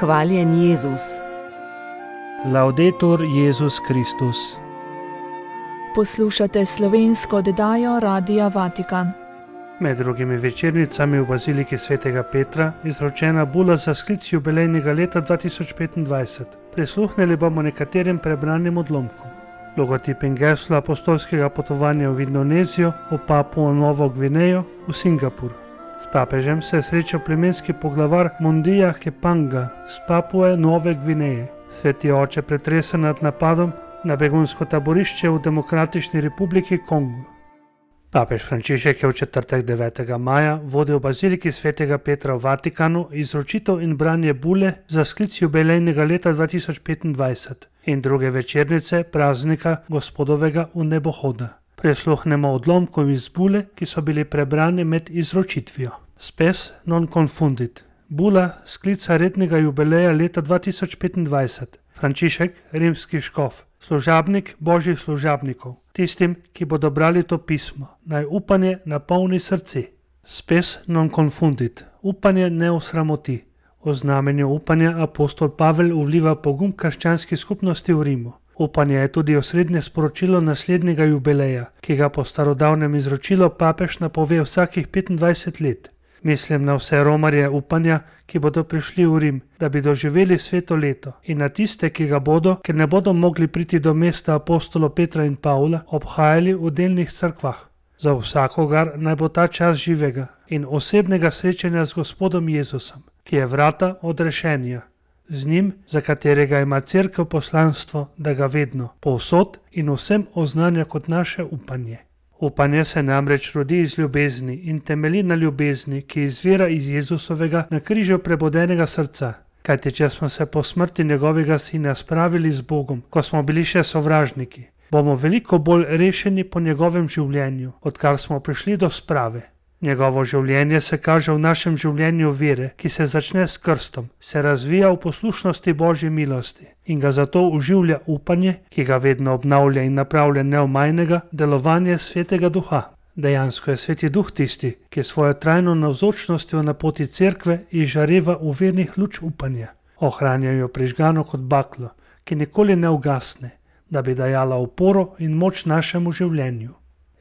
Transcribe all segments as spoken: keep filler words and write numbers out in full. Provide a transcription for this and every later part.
Hvaljen Jezus. Laudetur Jezus Kristus. Poslušate slovensko oddajo Radia Vatikan. Med drugimi večernicami v baziliki svetega Petra izročena bula za sklic jubilejnega leta dva tisoč petindvajset. Prisluhnili bomo nekaterim prebranim odlomkom. Logotip in geslo apostolskega potovanja v Indonezijo, v Papuo Novo Gvinejo, v Singapur. S papežem se je srečal plemenski poglavar Mondija Kepanga z Papue Nove Gvineje. Sveti oče pretresen nad napadom na begunsko taborišče v Demokratični republiki Kongo. Papež Frančišek je v četrtek devetega maja vodil v baziliki svetega Petra v Vatikanu izročitev in branje bule za sklic jubilejnega leta dva tisoč petindvajset in druge večernice praznika Gospodovega vnebohoda. Prisluhnemo odlomkom iz bule, ki so bili prebrani med izročitvijo. Spes non confundit. Bula sklica rednega jubileja leta dva tisoč petindvajset. Frančišek, rimski škof, služabnik božjih služabnikov, tistim, ki bodo brali to pismo, naj upanje napolni srce. Spes non confundit. Upanje ne osramoti. O znamenju upanja apostol Pavel vliva pogum krščanski skupnosti v Rimu. Upanje je tudi osrednje sporočilo naslednjega jubileja, ki ga po starodavnem izročilu papež napove vsakih petindvajset let. Mislim na vse romarje upanja, ki bodo prišli v Rim, da bi doživeli sveto leto, in na tiste, ki ga bodo, ker ne bodo mogli priti do mesta apostolov Petra in Pavla, obhajali v delnih cerkvah. Za vsakogar naj bo ta čas živega in osebnega srečanja z Gospodom Jezusom, ki je vrata odrešenja. Z njim, za katerega ima cerkev poslanstvo, da ga vedno, povsod in vsem oznanja kot naše upanje. Upanje se namreč rodi iz ljubezni in temelji na ljubezni, ki izvira iz Jezusovega na križu prebodenega srca. Kajti če smo se po smrti njegovega sina spravili z Bogom, ko smo bili še sovražniki, bomo veliko bolj rešeni po njegovem življenju, odkar smo prišli do sprave. Njegovo življenje se kaže v našem življenju vere, ki se začne s krstom, se razvija v poslušnosti Božje milosti in ga zato uživlja upanje, ki ga vedno obnavlja in napravlja neomajnega delovanje Svetega Duha. Dejansko je Sveti Duh tisti, ki svojo trajno navzočnostjo na poti cerkve izžareva v vernih luč upanja. Ohranja jo prižgano kot baklo, ki nikoli ne ugasne, da bi dajala oporo in moč našemu življenju.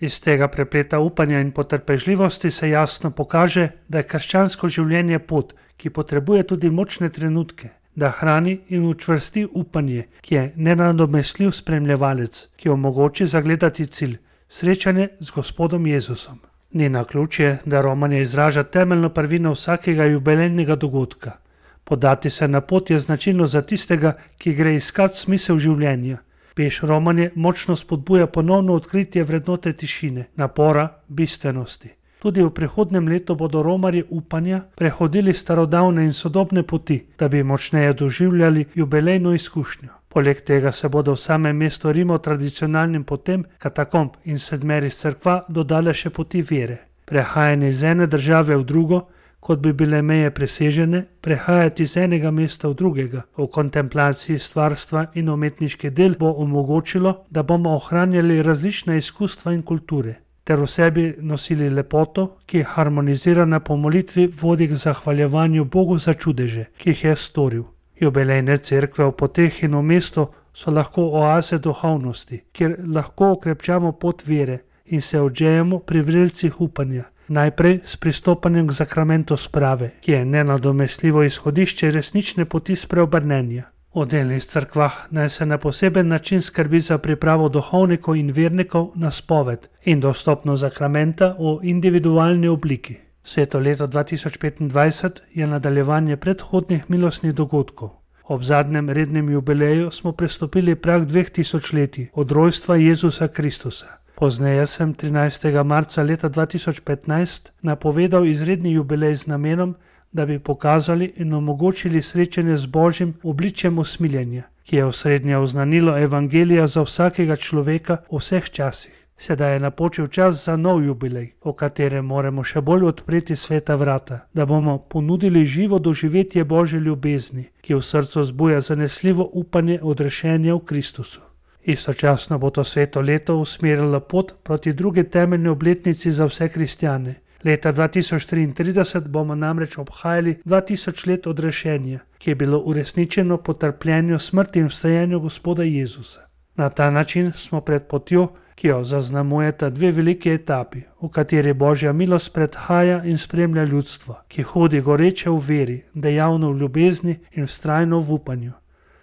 Iz tega prepleta upanja in potrpežljivosti se jasno pokaže, da je krščansko življenje pot, ki potrebuje tudi močne trenutke, da hrani in učvrsti upanje, ki je nenadomestljiv spremljevalec, ki omogoči zagledati cilj, srečanje z Gospodom Jezusom. Ni naključje, da romanje izraža temeljno prvino vsakega jubilejnega dogodka. Podati se na pot je značilno za tistega, ki gre iskat smisel življenja. Peš romanje močno spodbuja ponovno odkritje vrednote tišine, napora, bistvenosti. Tudi v prihodnem letu bodo romarji upanja prehodili starodavne in sodobne poti, da bi močneje doživljali jubilejno izkušnjo. Poleg tega se bodo v samem mestu Rimo tradicionalnim potem katakomb in sedmerih cerkva dodale še poti vere. Prehajanje iz ene države v drugo, kot bi bile meje presežene, prehajati iz enega mesta v drugega, v kontemplaciji stvarstva in umetniški del bo omogočilo, da bomo ohranjali različna izkustva in kulture, ter v sebi nosili lepoto, ki je harmonizirana po molitvi vodi k zahvaljevanju Bogu za čudeže, ki jih je storil. Jubilejne cerkve v poteh in v mestu so lahko oaze duhovnosti, kjer lahko okrepčamo pot vere in se odžejemo pri vrelcih upanja. Najprej s pristopanjem k zakramentu sprave, ki je nenadomestljivo izhodišče resnične poti spreobrnenja. V delnih cerkvah naj se na poseben način skrbi za pripravo duhovnikov in vernikov na spoved in dostopnost zakramenta v individualni obliki. Sveto leto dva tisoč petindvajset je nadaljevanje predhodnih milostnih dogodkov. Ob zadnjem rednem jubileju smo prestopili prag dveh tisočletij od rojstva Jezusa Kristusa. Pozneje sem trinajstega marca leta dva tisoč petnajst napovedal izredni jubilej z namenom, da bi pokazali in omogočili srečanje z Božjim obličjem usmiljenja, ki je osrednje oznanilo evangelija za vsakega človeka v vseh časih. Sedaj je napočil čas za nov jubilej, v katerem moramo še bolj odpreti sveta vrata, da bomo ponudili živo doživetje Božje ljubezni, ki v srcu zbuja zanesljivo upanje odrešenja v Kristusu. Istočasno bo to sveto leto usmerilo pot proti drugi temeljni obletnici za vse kristjane, Leta dva tisoč triintrideset bomo namreč obhajali dva tisoč let odrešenja, ki je bilo uresničeno po trpljenju, smrti in vstajenju Gospoda Jezusa. Na ta način smo pred potjo, ki jo zaznamujeta dve veliki etapi, v kateri Božja milost predhaja in spremlja ljudstvo, ki hodi goreče v veri, dejavno v ljubezni in vztrajno v upanju.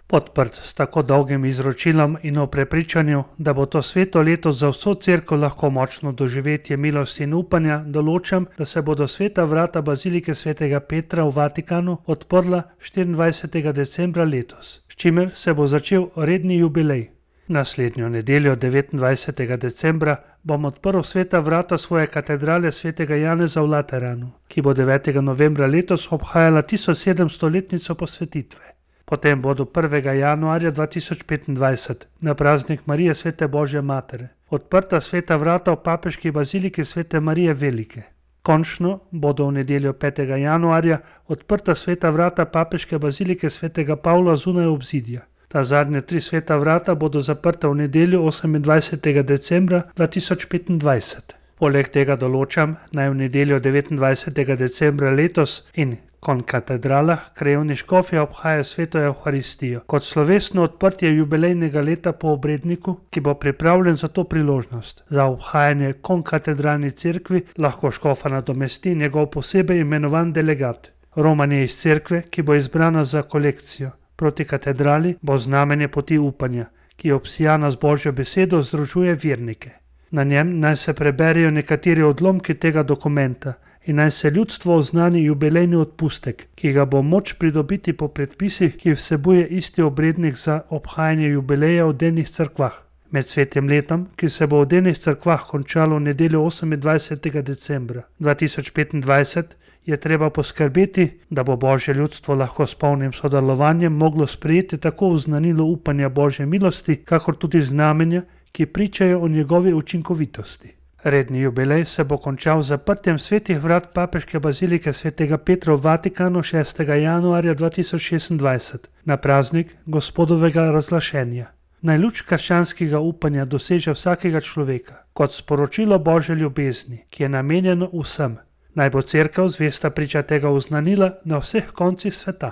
Podprt s tako dolgim izročilom in o prepričanju, da bo to sveto leto za vso cerkev lahko močno doživetje milosti in upanja, določam, da se bodo sveta vrata bazilike svetega Petra v Vatikanu odprla štiriindvajsetega decembra letos, s čimer se bo začel redni jubilej. Naslednjo nedeljo, devetindvajsetega decembra, bom odprl sveta vrata svoje katedrale svetega Janeza v Lateranu, ki bo devetega novembra letos obhajala tisočsedemstoletnico posvetitve. Potem bodo prvega januarja dva tisoč petindvajset na praznik Marije svete Božje Matere odprta sveta vrata v papeški baziliki svete Marije Velike. Končno bodo v nedeljo petega januarja odprta sveta vrata papeške bazilike svetega Pavla zunaj obzidja. Ta zadnje tri sveta vrata bodo zaprta v nedeljo osemindvajsetega decembra dva tisoč petindvajset. Poleg tega določam, naj v nedeljo devetindvajsetega decembra letos in konkatedralah krajevni škofje obhaja sveto Evharistijo kot slovesno odprtje jubilejnega leta po obredniku, ki bo pripravljen za to priložnost. Za obhajanje konkatedralni cerkvi lahko škofa nadomesti njegov posebej imenovan delegat. Romanje iz cerkve, ki bo izbrana za kolekcijo proti katedrali, bo znamenje poti upanja, ki je obsijana z Božjo besedo, združuje vernike. Na njem naj se preberejo nekateri odlomki tega dokumenta in naj se ljudstvo oznani jubilejni odpustek, ki ga bo moč pridobiti po predpisih, ki vsebuje isti obrednik za obhajanje jubileja v denih cerkvah. Med svetim letom, ki se bo v denih cerkvah končalo v nedeljo osemindvajsetega decembra dva tisoč petindvajset, je treba poskrbeti, da bo Božje ljudstvo lahko s polnim sodelovanjem moglo sprejeti tako oznanilo upanja Božje milosti, kakor tudi znamenja, ki pričajo o njegovi učinkovitosti. Redni jubilej se bo končal z zaprtjem svetih vrat papeške bazilike svetega Petra v Vatikanu šestega januarja dva tisoč šestindvajset na praznik Gospodovega razglašenja. Naj luč krščanskega upanja doseže vsakega človeka kot sporočilo Božje ljubezni, ki je namenjeno vsem. Naj bo cerkev zvesta priča tega oznanila na vseh koncih sveta.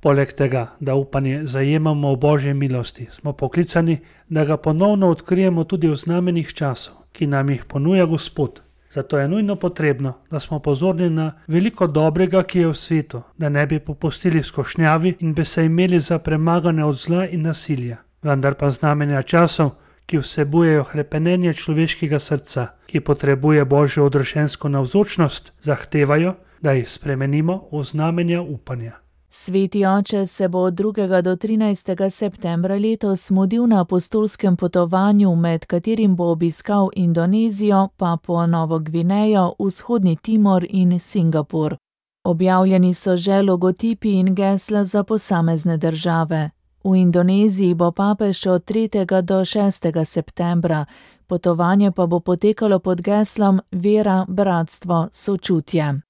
Poleg tega, da upanje zajemamo v Božji milosti, smo poklicani, da ga ponovno odkrijemo tudi v znamenih časov, ki nam jih ponuja Gospod. Zato je nujno potrebno, da smo pozorni na veliko dobrega, ki je v svetu, da ne bi popustili skošnjavi in bi se imeli za premagane od zla in nasilja. Vendar pa znamenja časov, ki vsebujejo hrepenenje človeškega srca, ki potrebuje Božjo odrešensko navzočnost, zahtevajo, da jih spremenimo v znamenja upanja. Sveti oče se bo od drugega do trinajstega septembra letos mudil na apostolskem potovanju, med katerim bo obiskal Indonezijo, Papuo Novo Gvinejo, Vzhodni Timor in Singapur. Objavljeni so že logotipi in gesla za posamezne države. V Indoneziji bo papež od tretjega do šestega septembra, potovanje pa bo potekalo pod geslom Vera, bratstvo, sočutje.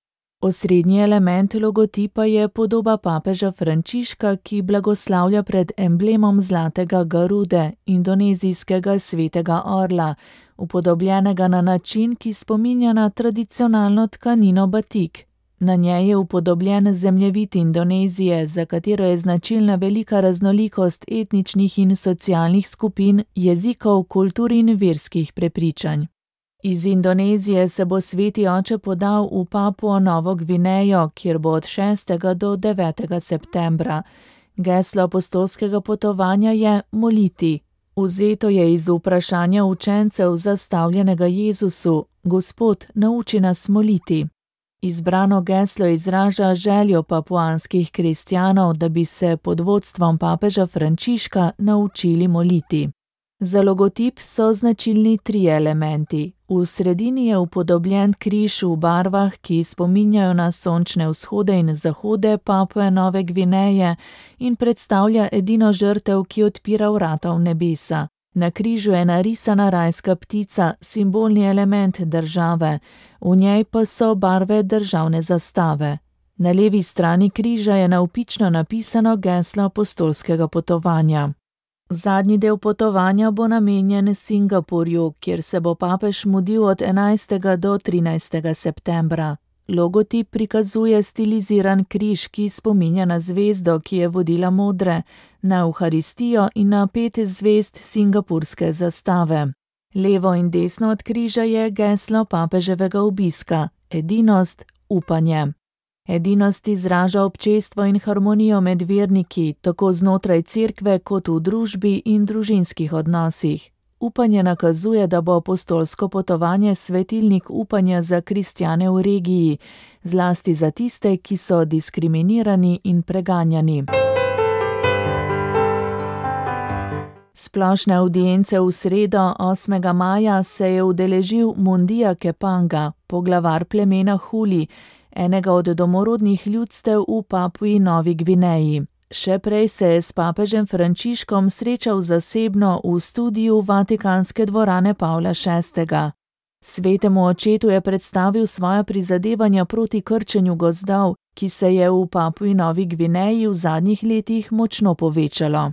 Osrednji element logotipa je podoba papeža Frančiška, ki blagoslavlja pred emblemom zlatega garude, indonezijskega svetega orla, upodobljenega na način, ki spominja na tradicionalno tkanino batik. Na njej je upodobljen zemljevid Indonezije, za katero je značilna velika raznolikost etničnih in socialnih skupin, jezikov, kultur in verskih prepričanj. Iz Indonezije se bo sveti oče podal v Papuo Novo Gvinejo, kjer bo od šestega do devetega septembra. Geslo apostolskega potovanja je moliti. Vzeto je iz vprašanja učencev zastavljenega Jezusu: Gospod, nauči nas moliti. Izbrano geslo izraža željo papuanskih kristjanov, da bi se pod vodstvom papeža Frančiška naučili moliti. Za logotip so značilni trije elementi. V sredini je upodobljen križ v barvah, ki spominjajo na sončne vzhode in zahode Papue Nove Gvineje in predstavlja edino žrtev, ki odpira vrata v nebesa. Na križu je narisana rajska ptica, simbolni element države, v njej pa so barve državne zastave. Na levi strani križa je navpično napisano geslo apostolskega potovanja. Zadnji del potovanja bo namenjen Singapurju, kjer se bo papež mudil od enajstega do trinajstega septembra. Logotip prikazuje stiliziran križ, ki spominja na zvezdo, ki je vodila modre, na Evharistijo in na pet zvezd singapurske zastave. Levo in desno od križa je geslo papeževega obiska: edinost, upanje. Edinost izraža občestvo in harmonijo med verniki, tako znotraj cerkve kot v družbi in družinskih odnosih. Upanje nakazuje, da bo apostolsko potovanje svetilnik upanja za kristjane v regiji, zlasti za tiste, ki so diskriminirani in preganjani. Splošne avdience v sredo, osmega maja, se je udeležil Mundija Kepanga, poglavar plemena Huli, enega od domorodnih ljudstev v Papui Novi Gvineji. Še prej se je s papežem Frančiškom srečal zasebno v studiu Vatikanske dvorane Pavla šestega. Svetemu očetu je predstavil svoja prizadevanja proti krčenju gozdov, ki se je v Papui Novi Gvineji v zadnjih letih močno povečalo.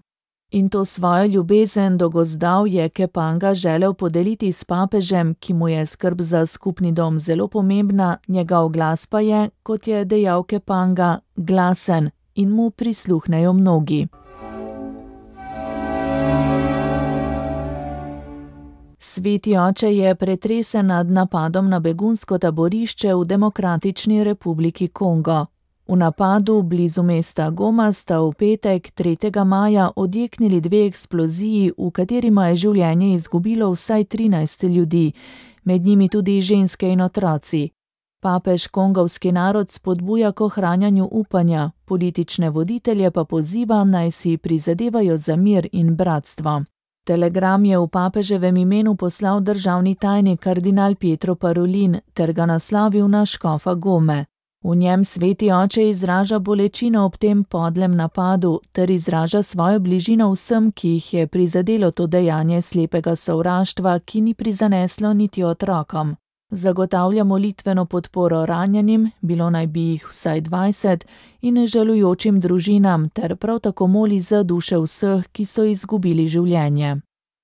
In to svojo ljubezen do gozdov je Kepanga želel podeliti s papežem, ki mu je skrb za skupni dom zelo pomembna, njegov glas pa je, kot je dejal Kepanga, glasen in mu prisluhnejo mnogi. Sveti oče je pretresen nad napadom na begunsko taborišče v Demokratični republiki Kongo. V napadu blizu mesta Goma sta v petek, tretjega maja, odjeknili dve eksploziji, v katerima je življenje izgubilo vsaj trinajst ljudi, med njimi tudi ženske in otroci. Papež kongovski narod spodbuja k ohranjanju upanja, politične voditelje pa poziva, naj si prizadevajo za mir in bratstvo. Telegram je v papeževem imenu poslal državni tajnik kardinal Pietro Parolin ter ga naslovil na škofa Gome. V njem sveti oče izraža bolečino ob tem podlem napadu ter izraža svojo bližino vsem, ki jih je prizadelo to dejanje slepega sovraštva, ki ni prizaneslo niti otrokom. Zagotavlja molitveno podporo ranjenim, bilo naj bi jih vsaj dvajset, in žalujočim družinam ter prav tako moli za duše vseh, ki so izgubili življenje.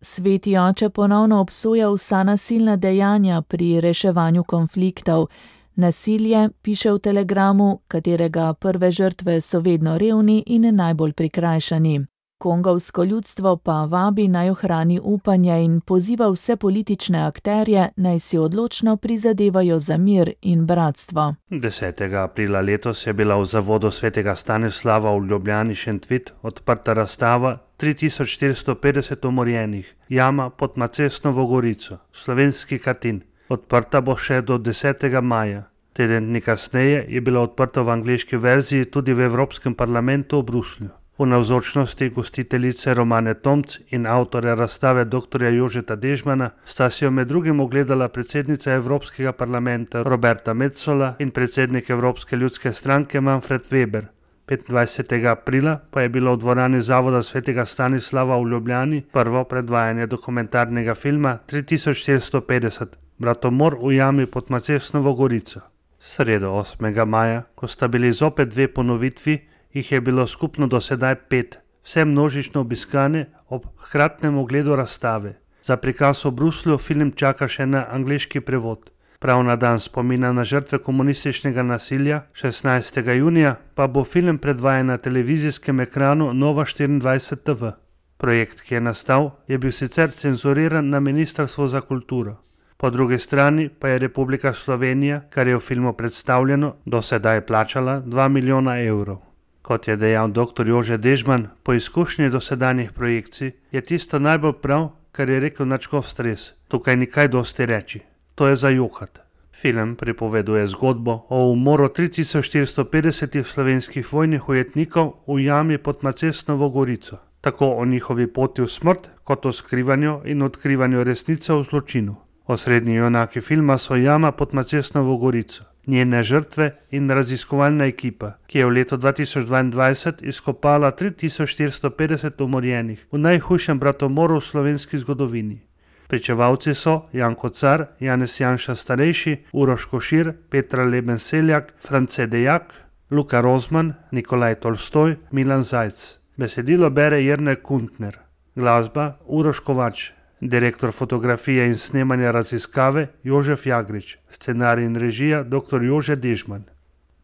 Sveti oče ponovno obsoja vsa nasilna dejanja pri reševanju konfliktov. Nasilje, piše v telegramu, katerega prve žrtve so vedno revni in najbolj prikrajšani. Kongovsko ljudstvo pa vabi, naj ohrani upanje in poziva vse politične akterje, naj si odločno prizadevajo za mir in bratstvo. desetega aprila letos je bila v zavodu svetega Stanislava v Ljubljani Šentvid odprta razstava tri tisoč štiristo petdeset umorjenih, jama pod Macesnovo gorico, slovenski Katin. Odprta bo še do desetega maja. Teden dni kasneje je bila odprta v angleški verziji tudi v Evropskem parlamentu v Bruslju. V navzočnosti gostiteljice Romane Tomc in avtorja razstave doktorja Jožeta Dežmana sta si jo med drugim ogledala predsednica Evropskega parlamenta Roberta Metsola in predsednik Evropske ljudske stranke Manfred Weber. petindvajsetega aprila pa je bilo v dvorani Zavoda svetega Stanislava v Ljubljani prvo predvajanje dokumentarnega filma tri tisoč štiristo petdeset, Bratomor v jami pod Macesnovo gorico. Sredo osmega maja, ko sta bili zopet dve ponovitvi, jih je bilo skupno do sedaj pet, vse množično obiskane ob hkratnem ogledu razstave. Za prikaz v Bruslju film čaka še na angleški prevod. Prav na dan spomina na žrtve komunističnega nasilja, šestnajstega junija, pa bo film predvajan na televizijskem ekranu Nova štiriindvajset T V. Projekt, ki je nastal, je bil sicer cenzuriran na Ministrstvu za kulturo. Po drugi strani pa je Republika Slovenija, kar je v filmu predstavljeno, do sedaj plačala dva milijona evrov. Kot je dejal doktor Jože Dežman, po izkušnji dosedanjih projekcij, je tisto najbolj prav, kar je rekel nadškof Stres. Tukaj ni kaj dosti reči. To je za juhat. Film pripoveduje zgodbo o umoru tri tisoč štiristo petdeset slovenskih vojnih ujetnikov v jami pod Macesnovo gorico. Tako o njihovi poti v smrt, kot o skrivanju in odkrivanju resnice o zločinu. Osrednji junaki filma so jama pod Macesnovo gorico, njene žrtve in raziskovalna ekipa, ki je v letu dva tisoč dvaindvajset izkopala tri tisoč štiristo petdeset umorjenih v najhujšem bratomoru v slovenski zgodovini. Pričevalci so Janko Car, Janez Janša starejši, Uroš Košir, Petra Leben Seljak, France Dejak, Luka Rozman, Nikolaj Tolstoj, Milan Zajc. Besedilo bere Jernej Kuntner. Glasba Uroš Kovač, direktor fotografije in snemanja Raziskave Jožef Jagrič, scenarij in režija doktor Jože Dežman.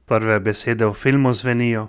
Prve besede v filmu zvenijo: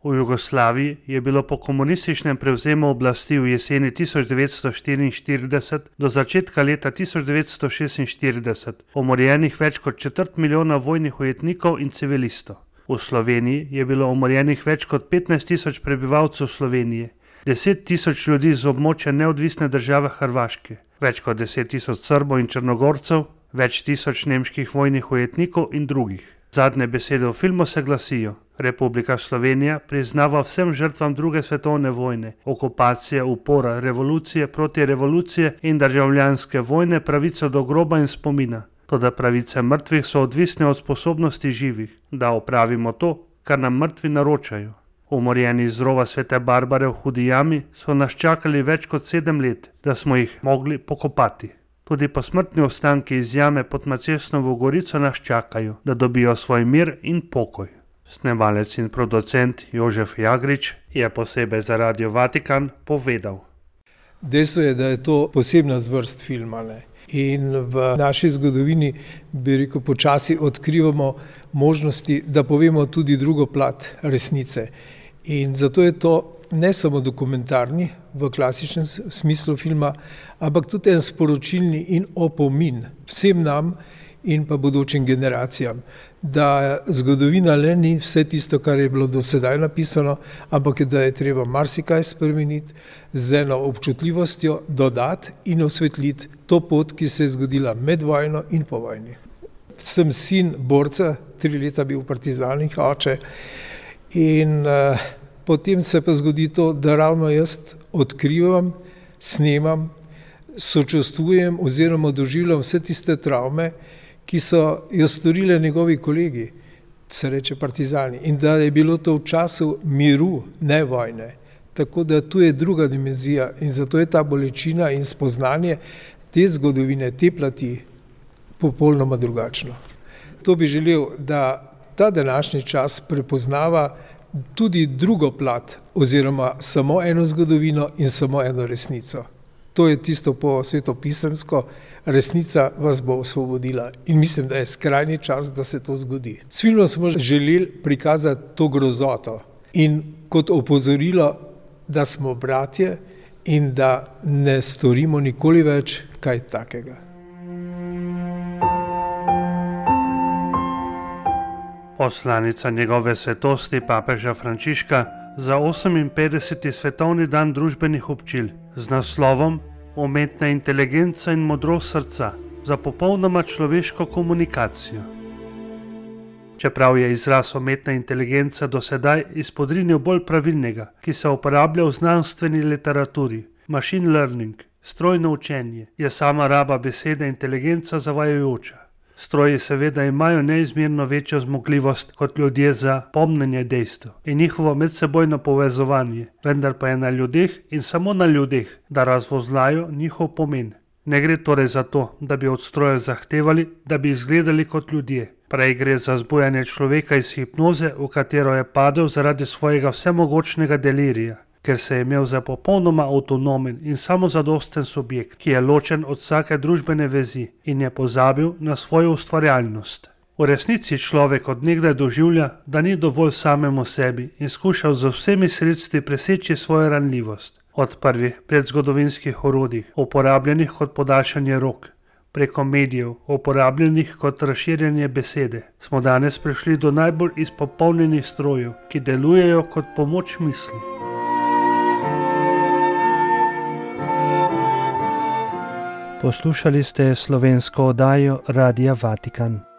v Jugoslaviji je bilo po komunističnem prevzemu oblasti v jeseni tisoč devetsto štiriinštirideset do začetka leta tisoč devetsto šestinštirideset umorjenih več kot četrt milijona vojnih ujetnikov in civilistov. V Sloveniji je bilo umorjenih več kot petnajst tisoč prebivalcev Slovenije, deset tisoč ljudi z območja neodvisne države Hrvaške, več kot deset tisoč Srbov in Črnogorcev, več tisoč nemških vojnih ujetnikov in drugih. Zadnje besede v filmu se glasijo: Republika Slovenija priznava vsem žrtvam druge svetovne vojne, okupacije, upora, revolucije, protirevolucije in državljanske vojne pravico do groba in spomina. Toda pravice mrtvih so odvisne od sposobnosti živih, da opravimo to, kar nam mrtvi naročajo. Umorjeni iz rova Svete Barbare v Hudi jami so nas čakali več kot sedem let, da smo jih mogli pokopati. Tudi posmrtni ostanki iz jame pod Macesnovo Gorico nas čakajo, da dobijo svoj mir in pokoj. Snemalec in producent Jožef Jagrič je posebej za Radio Vatikan povedal: Dejstvo je, da je to posebna zvrst filma, ne? In v naši zgodovini, bi rekel, počasi odkrivamo možnosti, da povemo tudi drugo plat resnice. In zato je to ne samo dokumentarni v klasičnem smislu filma, ampak tudi en sporočilni in opomin vsem nam in pa bodočim generacijam, da zgodovina le ni vse tisto, kar je bilo do sedaj napisano, ampak da je treba marsikaj spremeniti, z eno občutljivostjo dodati in osvetliti to pot, ki se je zgodila med vojno in po vojni. Sem sin borca, tri leta bil v partizanih, oče, in uh, potem se pa zgodi to, da ravno jaz odkrivam, snemam, sočustvujem oziroma doživljam vse tiste travme, ki so jo storile njegovi kolegi, se reče partizani, in da je bilo to v času miru, ne vojne. Tako da tu je druga dimenzija in zato je ta bolečina in spoznanje te zgodovine, te plati popolnoma drugačno. To bi želel, da ta današnji čas prepoznava tudi drugo plat oziroma samo eno zgodovino in samo eno resnico. To je tisto po svetopisemsko, resnica vas bo osvobodila in mislim, da je skrajni čas, da se to zgodi. S filmom smo želeli prikazati to grozoto in kot opozorilo, da smo bratje in da ne storimo nikoli več kaj takega. Poslanica njegove svetosti papeža Frančiška za oseminpetdeseti svetovni dan družbenih občil z naslovom Umetna inteligenca in modrost srca za popolnoma človeško komunikacijo. Čeprav je izraz umetna inteligenca do sedaj izpodrinil bolj pravilnega, ki se uporablja v znanstveni literaturi, machine learning, strojno učenje, je sama raba besede inteligenca zavajajoča. Stroji seveda imajo neizmerno večjo zmogljivost kot ljudje za pomnjenje dejstev in njihovo medsebojno povezovanje, vendar pa je na ljudeh in samo na ljudeh, da razvozlajo njihov pomen. Ne gre torej za to, da bi od strojev zahtevali, da bi izgledali kot ljudje. Prej gre za zbujanje človeka iz hipnoze, v katero je padel zaradi svojega vsemogočnega delirija, ker se je imel za popolnoma avtonomen in samozadosten subjekt, ki je ločen od vsake družbene vezi in je pozabil na svojo ustvarjalnost. V resnici človek od nekdaj doživlja, da ni dovolj samemu sebi in skušal z vsemi sredstvi preseči svojo ranljivost. Od prvih predzgodovinskih orodij, uporabljenih kot podaljšanje rok, preko medijev, uporabljenih kot razširjanje besede, smo danes prišli do najbolj izpopolnjenih strojev, ki delujejo kot pomoč misli. Poslušali ste slovensko oddajo Radia Vatikan.